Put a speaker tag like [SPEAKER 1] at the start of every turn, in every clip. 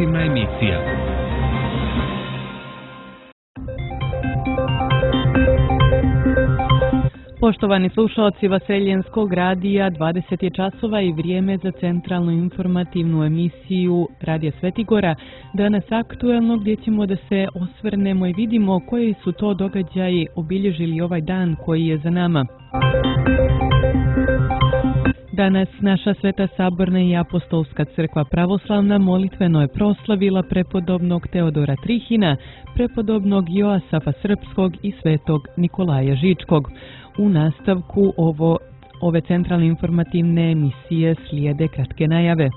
[SPEAKER 1] informativna emisija.
[SPEAKER 2] Poštovani slušalci Vaseljenskog radija, 20 je časova i vrijeme za centralnu informativnu emisiju Radija Svetigora. Danas aktuelno gdje ćemo da se osvrnemo i vidimo koji su to događaji obilježili ovaj dan koji je za nama. Danas naša Sveta Saborna i Apostolska crkva pravoslavna molitveno je proslavila prepodobnog Teodora Trihina, prepodobnog Joasafa Srpskog i svetog Nikolaja Žičkog. U nastavku ove centralne informativne emisije slijede kratke najave.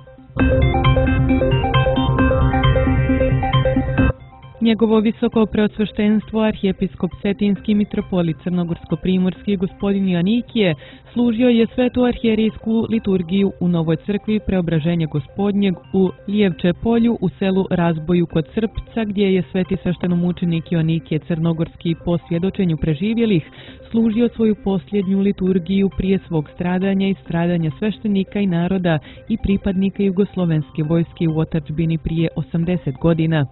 [SPEAKER 2] Njegovo visoko preosveštenstvo arhijepiskop Cetinski mitropolit Crnogorsko-primorski gospodin Joanikije služio je svetu arhijerijsku liturgiju u Novoj crkvi Preobraženja Gospodnjeg u Lijevče polju u selu Razboju kod Srpca, gdje je sveti sveštenomučenik Joanikije Crnogorski po svjedočenju preživjelih služio svoju posljednju liturgiju prije svog stradanja i stradanja sveštenika i naroda i pripadnika jugoslovenske vojske u otadžbini prije 80 godina.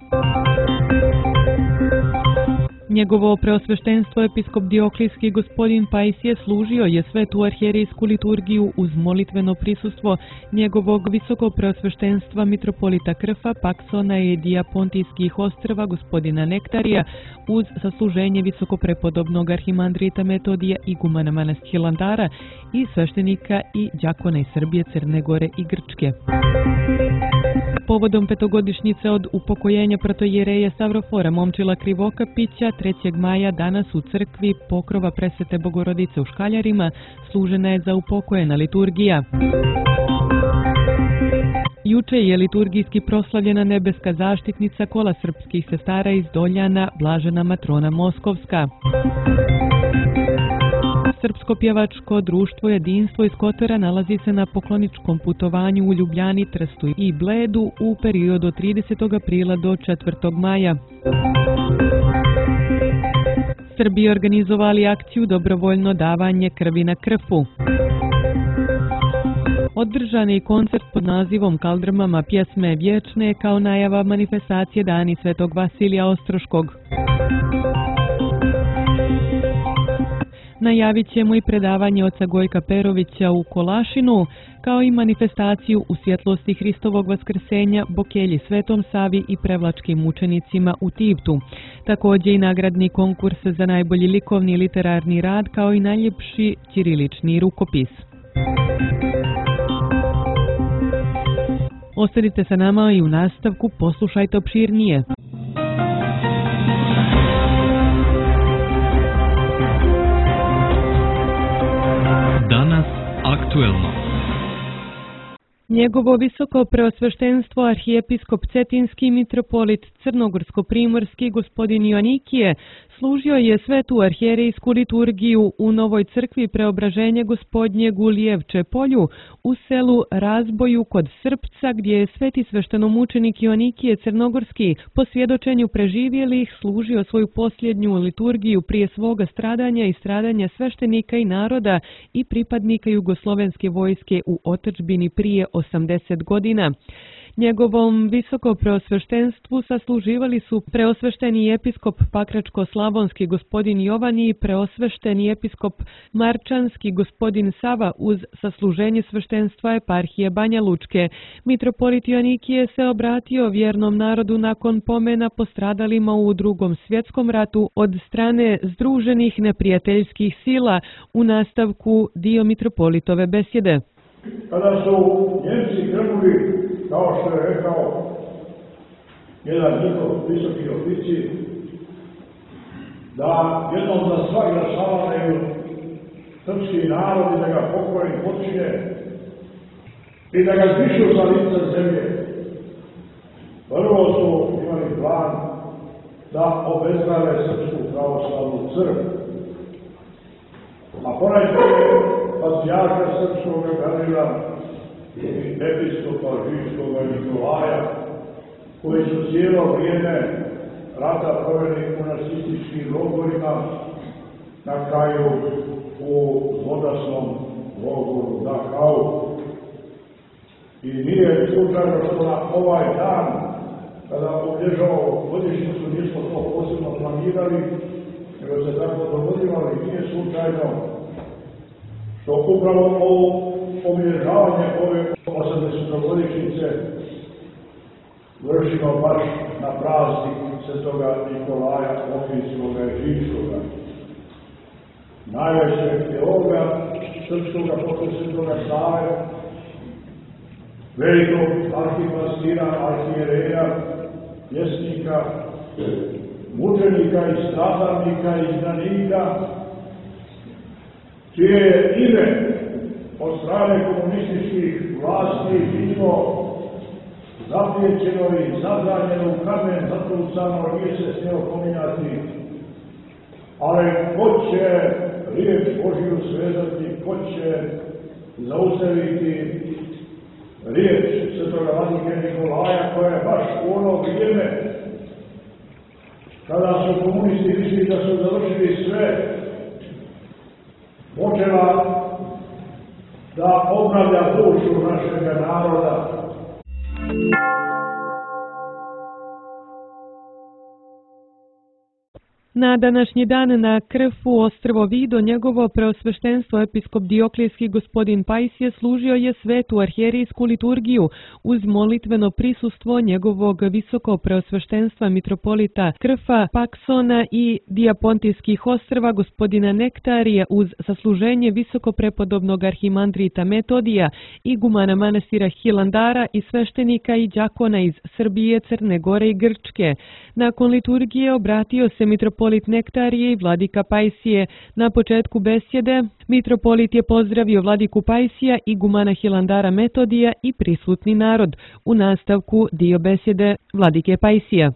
[SPEAKER 2] Njegovo preosveštenstvo episkop Dioklijski gospodin Pajsije služio je svetu arhijerijsku liturgiju uz molitveno prisustvo njegovog visoko preosveštenstva mitropolita Krfa, Paksona i Dijapontijskih ostrva gospodina Nektarija uz sasluženje visokoprepodobnog arhimandrita Metodija igumana manastira Hilandara i sveštenika i đakona iz Srbije, Crne Gore i Grčke. Povodom petogodišnjice od upokojenja protoijereja Savrofora Momčila Krivokapića 3. maja danas u crkvi Pokrova Presvete Bogorodice u Škaljarima služena je za upokojena liturgija. Juče je liturgijski proslavljena nebeska zaštitnica kola srpskih sestara iz Doljana, Blažena Matrona Moskovska. Srpsko pjevačko društvo Jedinstvo iz Kotora nalazi se na pokloničkom putovanju u Ljubljani, Trstu i Bledu u periodu od 30. aprila do 4. maja. Srbi organizovali akciju Dobrovoljno davanje krvi na Krfu. Održan je koncert pod nazivom Kaldrmama pjesme vječne kao najava manifestacije Dani Svetog Vasilija Ostroškog. Najavit ćemo i predavanje oca Gojka Perovića u Kolašinu, kao i manifestaciju u svjetlosti Hristovog vaskrsenja Bokelji Svetom Savi i prevlačkim mučenicima u Tivtu. Također i nagradni konkurs za najbolji likovni i literarni rad, kao i najljepši ćirilični rukopis. Ostanite sa nama i u nastavku poslušajte opširnije.
[SPEAKER 1] Danas aktuelno.
[SPEAKER 2] Njegovo visoko preosveštenstvo arhijepiskop Cetinski mitropolit Crnogorsko-primorski gospodin Joanikije služio je svetu arhijerijsku liturgiju u Novoj crkvi Preobraženja Gospodnjeg u Lijevče polju u selu Razboju kod Srpca, gdje je sveti sveštenomučenik Joanikije Crnogorski po svjedočenju preživjelih služio svoju posljednju liturgiju prije svoga stradanja i stradanja sveštenika i naroda i pripadnika jugoslovenske vojske u otadžbini prije 80 godina. Njegovom visoko preosveštenstvu sasluživali su preosvešteni episkop Pakračko-slavonski gospodin Jovan i preosvešteni episkop Marčanski gospodin Sava uz sasluženje sveštenstva eparhije Banja Lučke. Mitropolit Joanikije se obratio vjernom narodu nakon pomena postradalima u Drugom svjetskom ratu od strane združenih neprijateljskih sila. U nastavku dio mitropolitove besjede.
[SPEAKER 3] Kada su Njemci krenuli, kao što je rekao jedan njihov visoki oficir, da jednom za sva glasavaju srpski narod i da ga pokori počine i da ga zbrišu sa lica zemlje. Prvo su imali plan da obezglave Srpsku pravoslavnu crkvu, a ponajprije patrijarha srpskog Gavrila i episkopa Žičkoga Nikolaja, koji su cijelo vrijeme rata proveli u nacističkim logorima, na kraju u zlodasnom logoru Dachau. I nije slučajno što na ovaj dan kada obilježavamo godišnjicu, nismo to posebno planirali, nego se tako dogodilo, ali nije slučajno što upravo ovo obilježavanje ove 80-godišnjice vršimo baš na praznik Svetoga Nikolaja Ohridskoga i Rimskoga, najvećeg teologa srpskoga posle Svetoga Save, velikog arhipastira, arhijereja, pjesnika, mučenika i stradalnika i izdanika, čije je ime od strane komunističkih vlasti bilo zapriječeno i zabranjeno u kamen, zatrucano, nije se smjelo pominjati. Ali ko će riječ Božiju svezati, ko će zaustaviti riječ Svetoga Vladike Nikolaja, koja je baš u ono vrijeme kada su komunisti mislili da su završili sve, počela da obnavlja dušu našega naroda.
[SPEAKER 2] Na današnji dan na Krfu ostrvo Vido njegovo preosveštenstvo episkop Dioklijski gospodin Pajsije služio je svetu arhijerijsku liturgiju uz molitveno prisustvo njegovog visoko preosveštenstva mitropolita Krfa, Paksona i Dijapontijskih ostrva gospodina Nektarije uz sasluženje visoko prepodobnog arhimandrita Metodija, igumana manastira Hilandara i sveštenika i đakona iz Srbije, Crne Gore i Grčke. Nakon liturgije obratio se mitropolit Nektarije i vladika Pajsije. Na početku besjede mitropolit je pozdravio vladiku Pajsija, igumana Hilandara Metodija i prisutni narod. U nastavku dio besjede vladike Pajsija.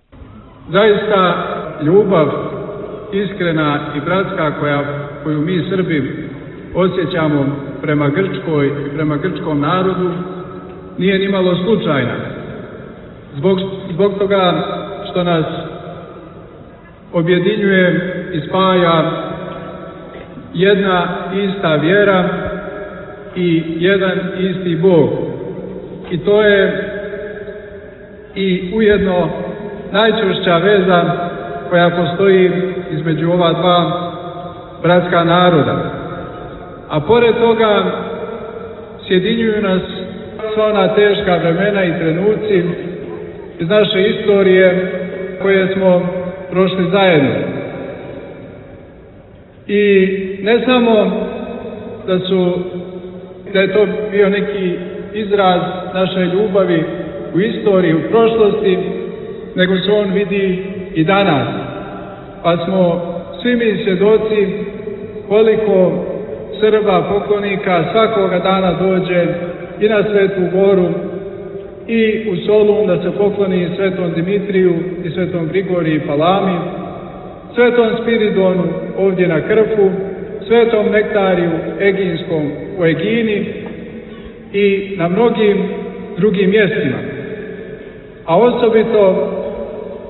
[SPEAKER 4] Zaista ljubav iskrena i bratska koju mi Srbi osjećamo prema Grčkoj i prema grčkom narodu nije nimalo slučajna. Zbog toga što nas objedinjuje i spaja jedna ista vjera i jedan isti Bog. I to je i ujedno najčvršća veza koja postoji između ova dva bratska naroda. A pored toga sjedinjuju nas sva ona teška vremena i trenuci iz naše istorije koje smo prošli zajedno. I ne samo da je to bio neki izraz naše ljubavi u istoriji, u prošlosti, nego se on vidi i danas. Pa smo svi mi svjedoci koliko Srba, poklonika svakoga dana dođe i na Svetu Goru i u Solun da se pokloni Svetom Dimitriju i Svetom Grigoriju i Palami, Svetom Spiridonu ovdje na Krfu, Svetom Nektariju Eginskom u Egini i na mnogim drugim mjestima. A osobito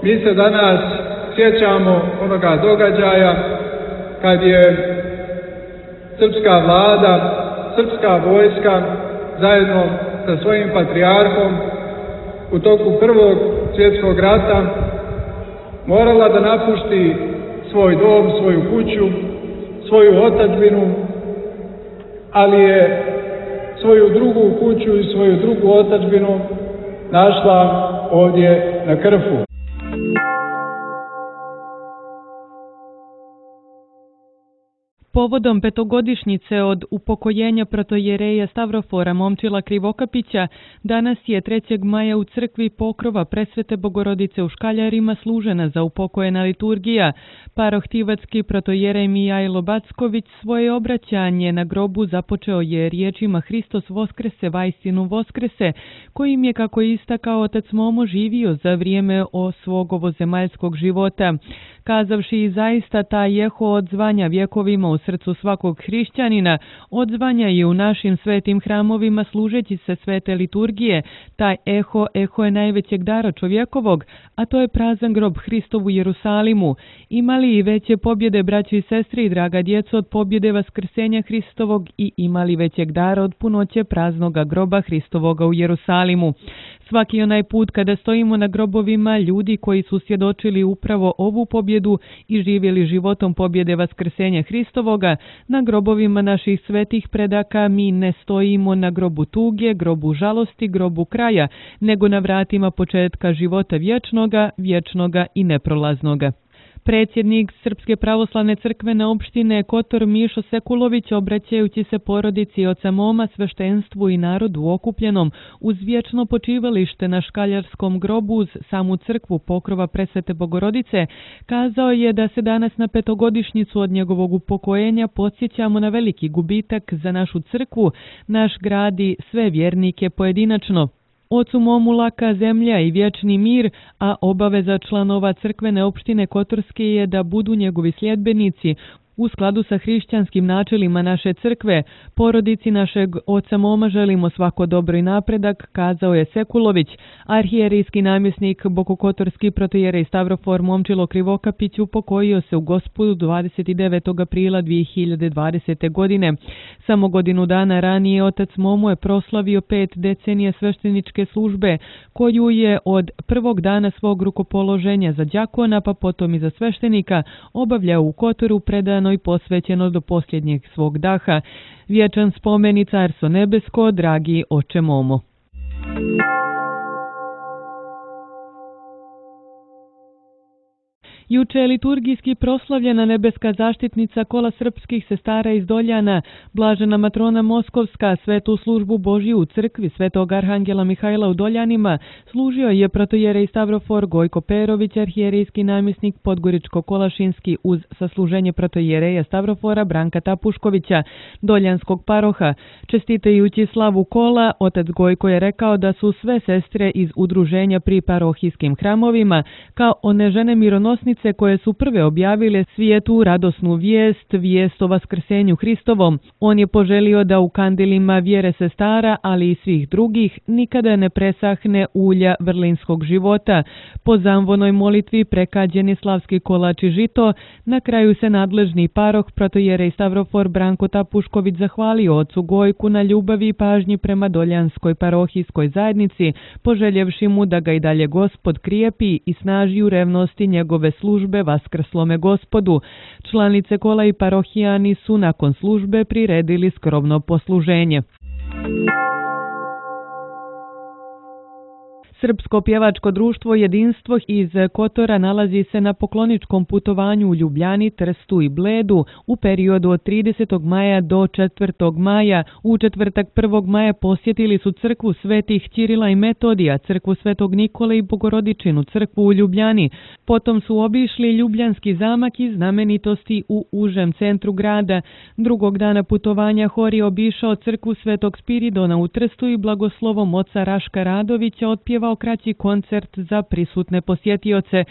[SPEAKER 4] mi se danas sjećamo onoga događaja kad je srpska vlada, srpska vojska zajedno sa svojim patrijarhom u toku Prvog svjetskog rata morala da napusti svoj dom, svoju kuću, svoju otadžbinu, ali je svoju drugu kuću i svoju drugu otadžbinu našla ovdje na Krfu.
[SPEAKER 2] Povodom petogodišnjice od upokojenja protojereja Stavrofora Momčila Krivokapića, danas je 3. maja u crkvi Pokrova Presvete Bogorodice u Škaljarima služena za upokojena liturgija. Parohtivatski protojerej Mijajlo Backović svoje obraćanje na grobu započeo je riječima Hristos Voskrese, vajstinu Voskrese, kojim je, kako istakao otac Momo, živio za vrijeme svog ovozemaljskog života. kazavši i zaista taj eho odzvanja vjekovima u srcu svakog hrišćanina, odzvanja i u našim svetim hramovima služeći se svete liturgije. Taj eho je najvećeg dara čovjekovog, a to je prazan grob Hristov u Jerusalimu. Imali i veće pobjede, braći i sestri i draga djeco, od pobjede vaskrsenja Hristovog i imali većeg dara od punoće praznoga groba Hristovoga u Jerusalimu. Svaki onaj put kada stojimo na grobovima ljudi koji su svjedočili upravo ovu pobjedu i živjeli životom pobjede vaskrsenja Hristovoga, na grobovima naših svetih predaka mi ne stojimo na grobu tuge, grobu žalosti, grobu kraja, nego na vratima početka života vječnoga i neprolaznoga. Predsjednik Srpske pravoslavne crkvene opštine Kotor Mišo Sekulović, obraćajući se porodici oca Moma, sveštenstvu i narodu okupljenom uz vječno počivalište na Škaljarskom grobu uz samu crkvu pokrova Presvete Bogorodice, kazao je da se danas na 5-godišnjicu od njegovog upokojenja podsjećamo na veliki gubitak za našu crkvu, naš grad i sve vjernike pojedinačno. Ocu Momu laka zemlja i vječni mir, a obaveza članova crkvene opštine Kotorske je da budu njegovi sljedbenici. U skladu sa hrišćanskim načelima naše crkve, porodici našeg oca Moma želimo svako dobro i napredak, kazao je Sekulović. Arhijerijski namjesnik Bokokotorski protojerej Stavrofor Momčilo Krivokapić upokojio se u Gospodu 29. aprila 2020. godine. Samo godinu dana ranije otac Momo je proslavio 5 decenija svešteničke službe, koju je od prvog dana svog rukopoloženja za đakona, pa potom i za sveštenika, obavljao u Kotoru, predano i posvećeno do posljednjeg svog daha. Vječan spomen i carstvo nebesko, dragi oče Momo. Juče je liturgijski proslavljena nebeska zaštitnica kola srpskih sestara iz Doljana, blažena matrona Moskovska. Svetu službu Božju u crkvi Svetog Arhangela Mihajla u Doljanima služio je protojerej Stavrofor Gojko Perović, arhijerijski namjesnik Podgoričko-Kolašinski uz sasluženje protojereja Stavrofora Branka Tapuškovića, doljanskog paroha. Čestitajući slavu kola, otac Gojko je rekao da su sve sestre iz udruženja pri parohijskim hramovima kao one žene mironosnice koje su prve objavile svijetu radosnu vijest o vaskrsenju Hristovom. On je poželio da u kandilima vjere sestara, ali i svih drugih, nikada ne presahne ulja vrlinskog života. Po zamvonoj molitvi prekađen je slavski kolač i žito. Na kraju se nadležni paroh protojerej Stavrofor Branko Tapušković zahvalio ocu Gojku na ljubavi i pažnji prema doljanskoj parohijskoj zajednici, poželjevši mu da ga i dalje Gospod krijepi i snaži u revnosti njegove službe vaskrslome Gospodu. Članice kola i parohijani su nakon službe priredili skromno posluženje. Srpsko pjevačko društvo Jedinstvo iz Kotora nalazi se na pokloničkom putovanju u Ljubljani, Trstu i Bledu u periodu od 30. maja do 4. maja. U četvrtak 1. maja posjetili su crkvu svetih Ćirila i Metodija, crkvu svetog Nikole i Bogorodičinu crkvu u Ljubljani. Potom su obišli Ljubljanski zamak i znamenitosti u užem centru grada. Drugog dana putovanja hor je obišao crkvu svetog Spiridona u Trstu i blagoslovom oca Raška Radovića otpjevao kraći koncert za prisutne posjetioce.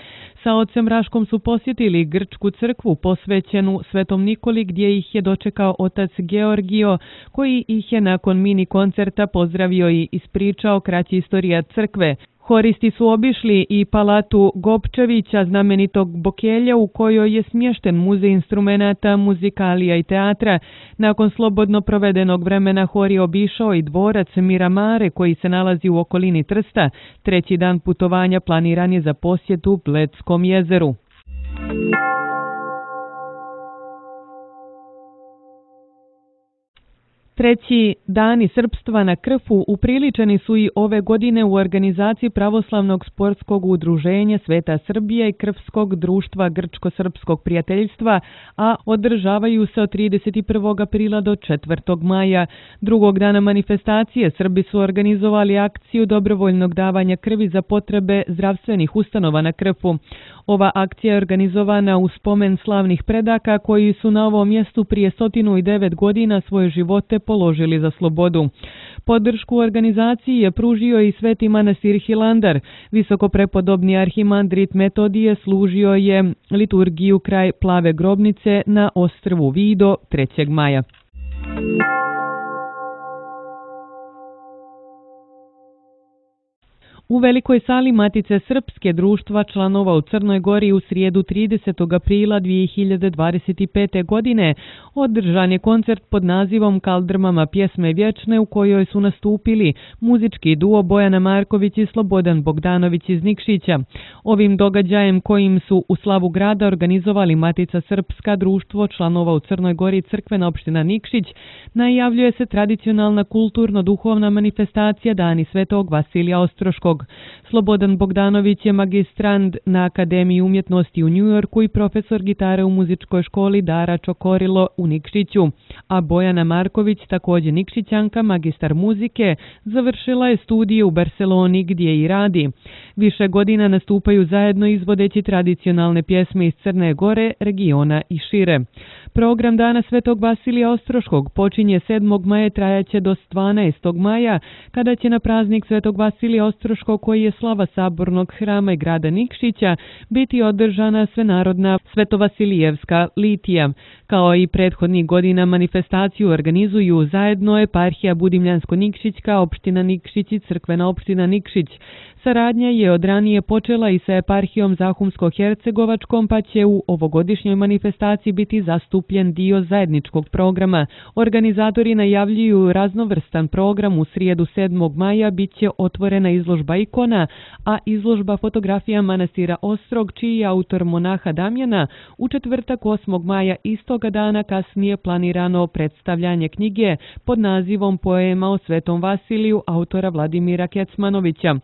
[SPEAKER 2] Sa ocem Raškom su posjetili grčku crkvu posvećenu Svetom Nikoli, gdje ih je dočekao otac Georgio, koji ih je nakon mini koncerta pozdravio i ispričao kraći istorija crkve. Horisti su obišli i palatu Gopčevića, znamenitog Bokelja, u kojoj je smješten muzej instrumenata, muzikalija i teatra. Nakon slobodno provedenog vremena hor je obišao i dvorac Miramare, koji se nalazi u okolini Trsta. Treći dan putovanja planiran je za posjetu Bledskom jezeru. Treći dani srpstva na Krfu upriličeni su i ove godine u organizaciji Pravoslavnog sportskog udruženja Sveta Srbija i Krfskog društva Grčko-srpskog prijateljstva, a održavaju se od 31. aprila do 4. maja. Drugog dana manifestacije Srbi su organizovali akciju dobrovoljnog davanja krvi za potrebe zdravstvenih ustanova na Krfu. Ova akcija je organizovana u spomen slavnih predaka koji su na ovom mjestu prije 109 godina svoje živote položili za slobodu. Podršku organizaciji je pružio i Sveti manastir Hilandar. Visokoprepodobni arhimandrit Metodije služio je liturgiju kraj Plave grobnice na ostrvu Vido 3. maja. U Velikoj sali Matice Srpske društva članova u Crnoj Gori u srijedu 30. aprila 2025. godine održan je koncert pod nazivom Kaldrmama pjesme vječne u kojoj su nastupili muzički duo Bojana Marković i Slobodan Bogdanović iz Nikšića. Ovim događajem kojim su u slavu grada organizovali Matica Srpska društvo članova u Crnoj Gori crkvena opština Nikšić, najavljuje se tradicionalna kulturno-duhovna manifestacija Dani Svetog Vasilija Ostroškog. Slobodan Bogdanović je magistrand na Akademiji umjetnosti u Njujorku i profesor gitare u muzičkoj školi Dara Čokorilo u Nikšiću, a Bojana Marković, također Nikšićanka, magistar muzike, završila je studije u Barceloni gdje i radi. Više godina nastupaju zajedno izvodeći tradicionalne pjesme iz Crne Gore, regiona i šire. Program Dana Svetog Vasilija Ostroškog počinje 7. maja, trajaće do 12. maja, kada će na praznik Svetog Vasilija Ostroškog, koji je slava Sabornog hrama i grada Nikšića, biti održana svenarodna Svetovasilijevska litija. Kao i prethodnih godina manifestaciju organizuju zajedno eparhija Budimljansko-Nikšićka, opština Nikšić i crkvena opština Nikšić. Saradnja je od ranije počela i sa eparhijom Zahumsko-Hercegovačkom, pa će u ovogodišnjoj manifestaciji biti zastupljen dio zajedničkog programa. Organizatori najavljuju raznovrstan program. U srijedu 7. maja bit će otvorena izložba ikona, a izložba fotografija manastira Ostrog, čiji je autor monaha Damjana. U četvrtak 8. maja istoga dana kasnije planirano predstavljanje knjige pod nazivom Poema o Svetom Vasiliju autora Vladimira Kecmanovića.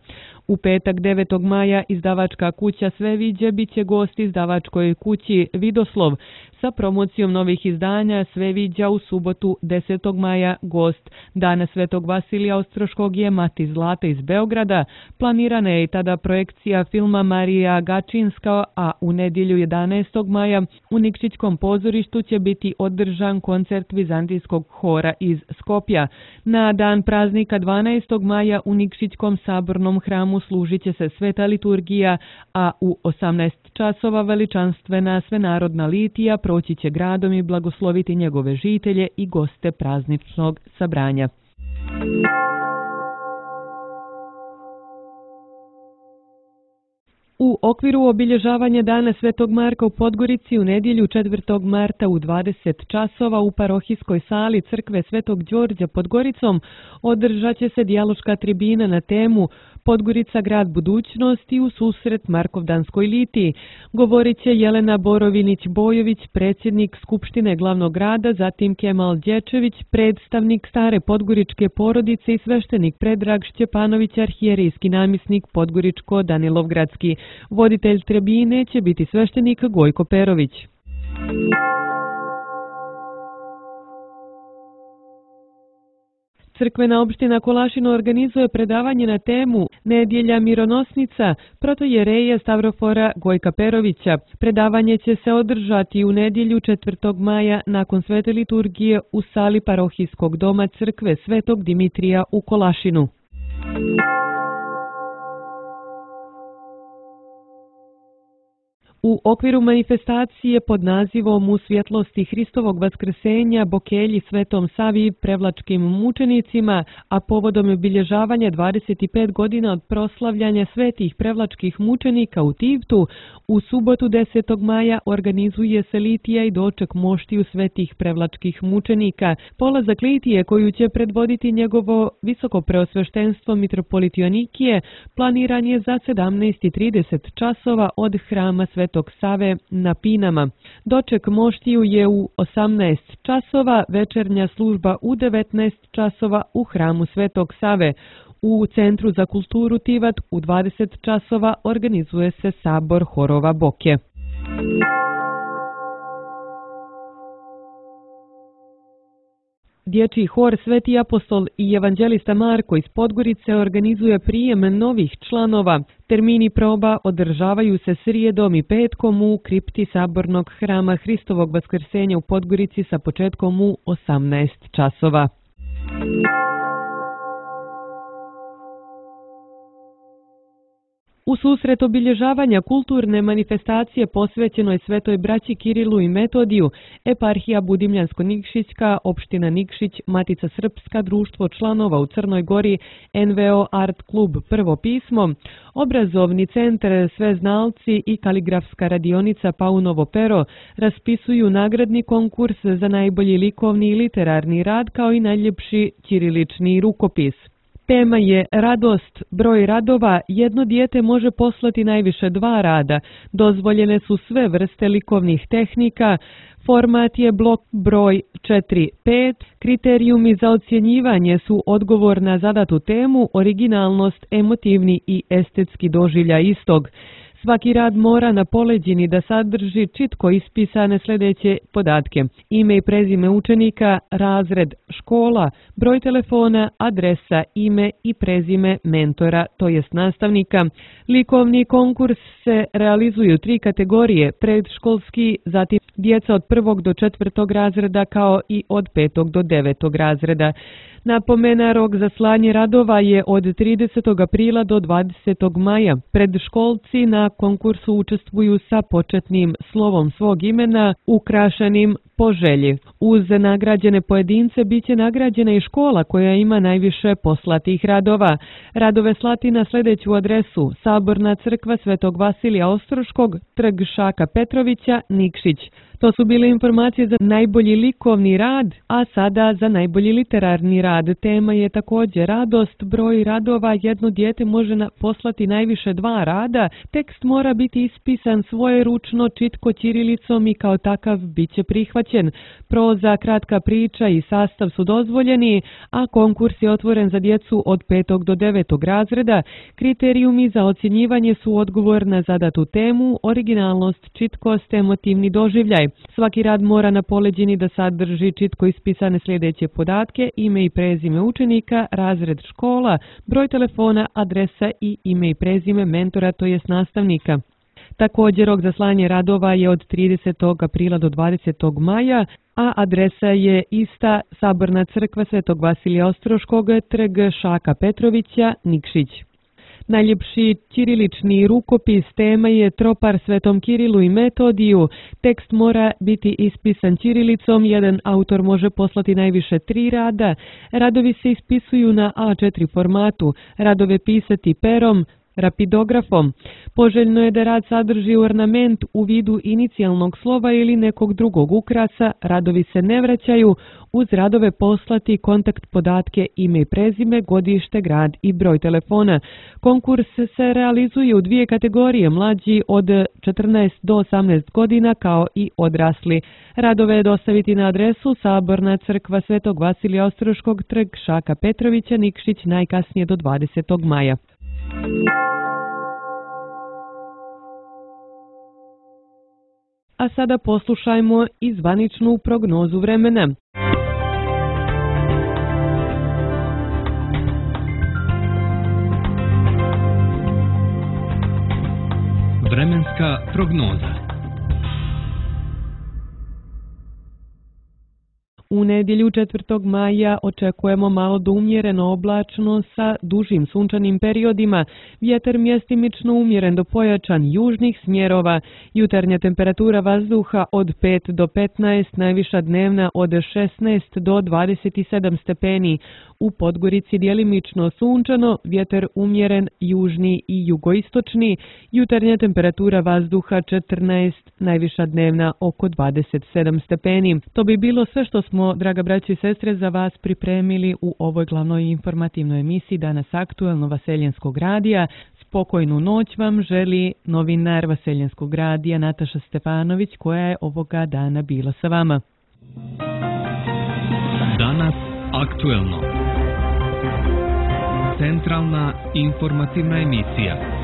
[SPEAKER 2] U petak 9. maja izdavačka kuća Sveviđe bit će gost izdavačkoj kući Vidoslov. Sa promocijom novih izdanja Sveviđa u subotu 10. maja gost Dana Svetog Vasilija Ostroškog je Mati Zlata iz Beograda. Planirana je i tada projekcija filma Marija Gačinska, a u nedjelju 11. maja u Nikšićkom pozorištu će biti održan koncert Vizantijskog hora iz Skopja. Na dan praznika 12. maja u Nikšićkom sabornom hramu služit će se sveta liturgija, a u 18 časova veličanstvena svenarodna litija proći će gradom i blagosloviti njegove žitelje i goste prazničnog sabranja. U okviru obilježavanja Dana Svetog Marka u Podgorici u nedjelju 4. marta u 20 časova u parohijskoj sali crkve Svetog Đorđa pod Goricom održat će se dijaloška tribina na temu Podgorica grad budućnosti u susret Markovdanskoj litiji. Govorit će Jelena Borovinić-Bojović, predsjednik Skupštine glavnog grada, zatim Kemal Dječević, predstavnik stare podgoričke porodice i sveštenik Predrag Šćepanović, arhijerijski namjesnik Podgoričko-Danilovgradski. Voditelj tribine će biti sveštenik Gojko Perović. Crkvena opština Kolašino organizuje predavanje na temu Nedjelja mironosnica protojereja Stavrofora Gojka Perovića. Predavanje će se održati u nedjelju 4. maja nakon svete liturgije u sali parohijskog doma crkve Svetog Dimitrija u Kolašinu. U okviru manifestacije pod nazivom U svjetlosti Hristovog vaskrsenja Bokelji Svetom Savi prevlačkim mučenicima, a povodom obilježavanja 25 godina od proslavljanja svetih prevlačkih mučenika u Tivtu, u subotu 10. maja organizuje se litija i doček moštiju svetih prevlačkih mučenika. Polazak litije, koju će predvoditi njegovo visoko preosveštenstvo mitropolit Joanikije, planiran je za 17:30 časova od hrama Svetog Save na Pinama. Doček moštiju je u 18 časova, večernja služba u 19 časova u hramu Svetog Save. U Centru za kulturu Tivat u 20 časova organizuje se sabor horova Boke. Dječji hor Sveti apostol i evanđelista Marko iz Podgorice organizuje prijem novih članova. Termini proba održavaju se srijedom i petkom u kripti sabornog hrama Hristovog vaskrsenja u Podgorici sa početkom u 18 časova. U susret obilježavanja kulturne manifestacije posvećenoj Svetoj braći Kirilu i Metodiju, eparhija Budimljansko-Nikšićka, opština Nikšić, Matica Srpska, društvo članova u Crnoj Gori, NVO Art klub Prvo pismo, obrazovni centar Sveznalci i kaligrafska radionica Paunovo pero raspisuju nagradni konkurs za najbolji likovni i literarni rad kao i najljepši ćirilični rukopis. Tema je radost, broj radova, jedno dijete može poslati najviše 2 rada, dozvoljene su sve vrste likovnih tehnika, format je blok broj 4-5, kriterijumi za ocjenjivanje su odgovor na zadatu temu, originalnost, emotivni i estetski doživljaj istog. Svaki rad mora na poleđini da sadrži čitko ispisane sljedeće podatke: ime i prezime učenika, razred, škola, broj telefona, adresa, ime i prezime mentora, to jest nastavnika. Likovni konkurs se realizuje u 3 kategorije: predškolski, zatim djeca od 1. do 4. razreda kao i od 5. do 9. razreda. Napomena, rok za slanje radova je od 30. aprila do 20. maja. Predškolci na konkursu učestvuju sa početnim slovom svog imena, ukrašenim po želji. Uz nagrađene pojedince bit će nagrađena i škola koja ima najviše poslatih radova. Radove slati na sljedeću adresu: Saborna crkva Svetog Vasilija Ostroškog, trg Šaka Petrovića, Nikšić. To su bile informacije za najbolji likovni rad, a sada za najbolji literarni rad. Tema je također radost, broj radova, jedno dijete može poslati najviše 2 rada, tekst mora biti ispisan svojeručno, čitko ćirilicom i kao takav bit će prihvaćen. Proza, kratka priča i sastav su dozvoljeni, a konkurs je otvoren za djecu od 5. do 9. razreda. Kriterijumi za ocjenjivanje su odgovor na zadatu temu, originalnost, čitkost, emotivni doživljaj. Svaki rad mora na poleđini da sadrži čitko ispisane sljedeće podatke: ime i prezime učenika, razred, škola, broj telefona, adresa i ime i prezime mentora, to jest nastavnika. Također, rok za slanje radova je od 30. aprila do 20. maja, a adresa je ista: Saborna crkva Svetog Vasilija Ostroškog, trg Šaka Petrovića, Nikšić. Najljepši ćirilični rukopis, tema je tropar Svetom Kirilu i Metodiju. Tekst mora biti ispisan ćirilicom, jedan autor može poslati najviše 3 rada. Radovi se ispisuju na A4 formatu, radove pisati perom, rapidografom. Poželjno je da rad sadrži ornament u vidu inicijalnog slova ili nekog drugog ukrasa. Radovi se ne vraćaju. Uz radove poslati kontakt podatke, ime i prezime, godište, grad i broj telefona. Konkurs se realizuje u 2 kategorije: mlađi od 14 do 18 godina kao i odrasli. Radove je dostaviti na adresu Saborna crkva Svetog Vasilija Ostroškog, trg Šaka Petrovića, Nikšić, najkasnije do 20. maja. A sada poslušajmo i zvaničnu prognozu vremena.
[SPEAKER 1] Vremenska prognoza.
[SPEAKER 2] U nedjelju 4. maja očekujemo malo do umjereno oblačno sa dužim sunčanim periodima, vjetar mjestimično umjeren do pojačan južnih smjerova, jutarnja temperatura vazduha od 5 do 15, najviša dnevna od 16 do 27 stepeni. U Podgorici djelimično sunčano, vjetar umjeren južni i jugoistočni, jutarnja temperatura vazduha 14, najviša dnevna oko 27 stepeni. To bi bilo sve što smo, draga braćo i sestre, za vas pripremili u ovoj glavnoj informativnoj emisiji Danas aktuelno Vaseljenskog radija. Spokojnu noć vam želi novinar Vaseljenskog radija Nataša Stefanović, koja je ovoga dana bila sa vama.
[SPEAKER 1] Danas aktuelno. Centralna informativna emisija.